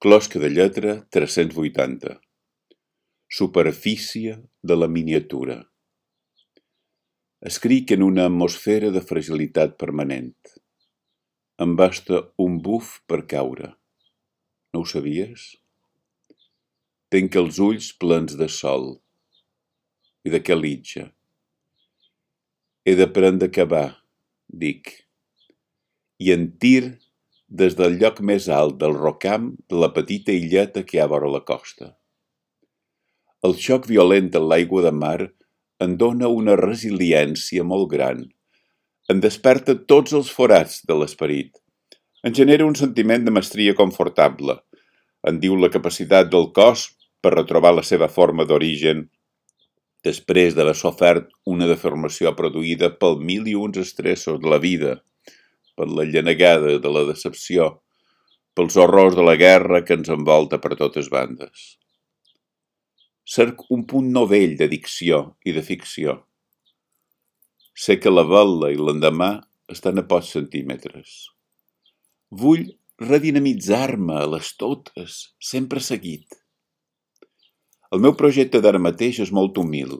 Closca de lletra 380. Superfície de la miniatura. Escric en una atmosfera de fragilitat permanent. Em basta un buf per caure. No ho sabies? Tenc els ulls plens de sol. I de què litja? He d'aprendre a acabar, dic. I en tir des del lloc més alt del rocam de la petita illeta que hi ha vora la costa. El xoc violent en l'aigua de mar em dóna una resiliència molt gran. Em desperta tots els forats de l'esperit. Em genera un sentiment de mestria confortable. Em diu la capacitat del cos per retrobar la seva forma d'origen després d'haver sofert una deformació produïda pel mil i uns estressos de la vida, per la llenegada de la decepció, pels horrors de la guerra que ens envolta per totes bandes. Cerc un punt novell de dicció i de ficció. Sé que la vela i l'endemà estan a pocs centímetres. Vull redinamitzar-me a les totes, sempre seguit. El meu projecte d'ara mateix és molt humil.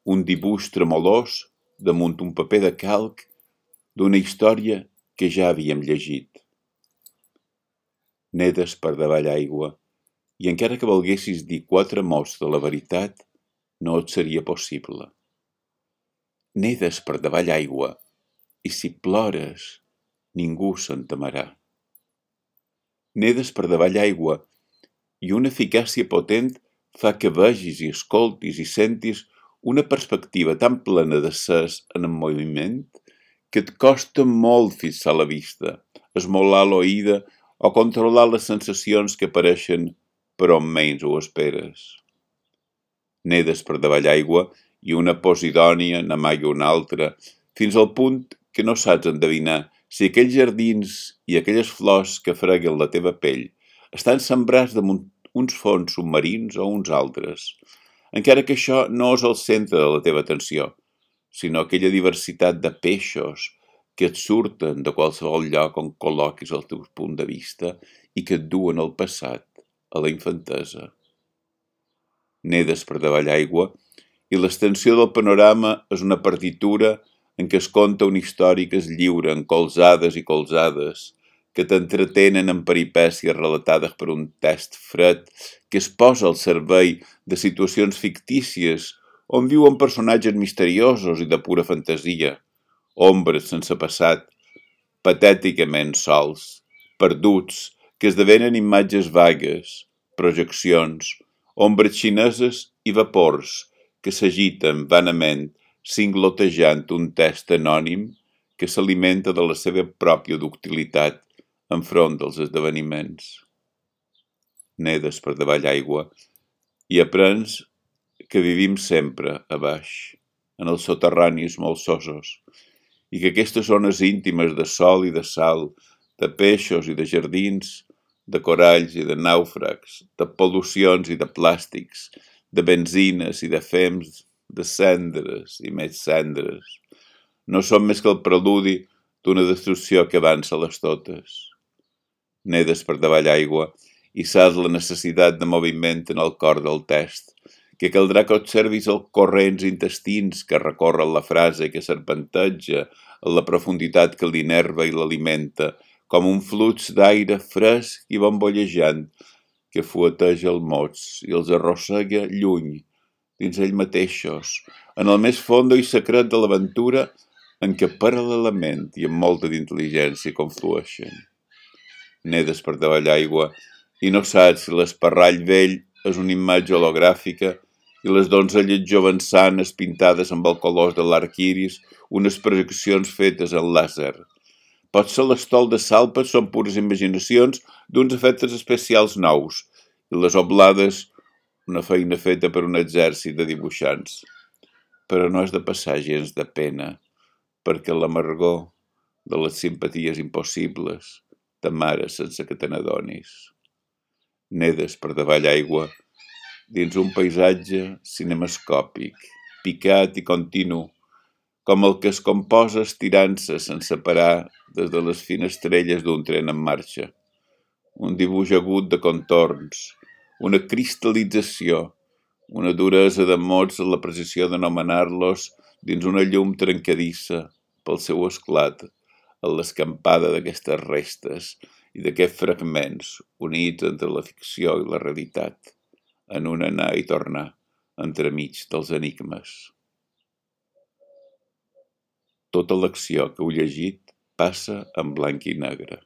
Un dibuix tremolós damunt un paper de calc d'una història que ja havíem llegit. Nedes per davall aigua, i encara que volguessis dir 4 mots de la veritat, no et seria possible. Nedes per davall aigua, i si plores, ningú se'n temerà. Nedes per davall aigua, i una eficàcia potent fa que vegis i escoltis i sentis una perspectiva tan plena de ses en moviment que et costa molt fixar la vista, esmolar l'oïda o controlar les sensacions que apareixen per on menys ho esperes. Nedes per davall aigua i una posidònia n'amaga una altra, fins al punt que no saps endevinar si aquells jardins i aquelles flors que freguen la teva pell estan sembrats damunt uns fons submarins o uns altres, encara que això no és el centre de la teva atenció, sinó aquella diversitat de peixos que et surten de qualsevol lloc on col·loquis el teu punt de vista i que et duen al passat, a la infantesa. Nedes per davall aigua i l'extensió del panorama és una partitura en què es conta una història que es lliura en colzades i colzades, que t'entretenen en peripècies relatades per un text fred que es posa al servei de situacions fictícies on viuen personatges misteriosos i de pura fantasia, ombres sense passat, patèticament sols, perduts, que esdevenen imatges vagues, projeccions, ombres xineses i vapors que s'agiten vanament singlotejant un text anònim que s'alimenta de la seva pròpia ductilitat enfront dels esdeveniments. Nedes per davall aigua i aprens que vivim sempre a baix, en els soterranis molsosos, i que aquestes zones íntimes de sol i de sal, de peixos i de jardins, de coralls i de nàufrags, de pol·lucions i de plàstics, de benzines i de fems, de cendres i més cendres, no són més que el preludi d'una destrucció que avança a les totes. Nedes per davall aigua i saps la necessitat de moviment en el cor del text, que caldrà que observis els corrents intestins que recorren la frase que serpenteja en la profunditat que l'innerva i l'alimenta, com un flux d'aire fresc i bombollejant que fueteja els mots i els arrossega lluny, dins ells mateixos, en el més fondo i secret de l'aventura en què paral·lelament i amb molta d'intel·ligència conflueixen. Nedes per davall aigua i no saps si l'esparrall vell és una imatge hologràfica i les donzelles jovençanes pintades amb el color de l'arc iris, unes projeccions fetes en làser. Potser l'estol de salpes són pures imaginacions d'uns efectes especials nous i les oblades una feina feta per un exèrcit de dibuixants. Però no has de passar gens de pena, perquè l'amargor de les simpaties impossibles t'amara sense que te n'adonis. Nedes per davall aigua dins un paisatge cinemascòpic, picat i continu, com el que es composa estirant-se sense parar des de les finestrelles d'un tren en marxa, un dibuix agut de contorns, una cristal·lització, una duresa de mots en la precisió d'anomenar-los dins una llum trencadissa pel seu esclat, en l'escampada d'aquestes restes i d'aquests fragments units entre la ficció i la realitat, en un anar i tornar entremig dels enigmes. Tota l'acció que heu llegit passa en blanc i negre.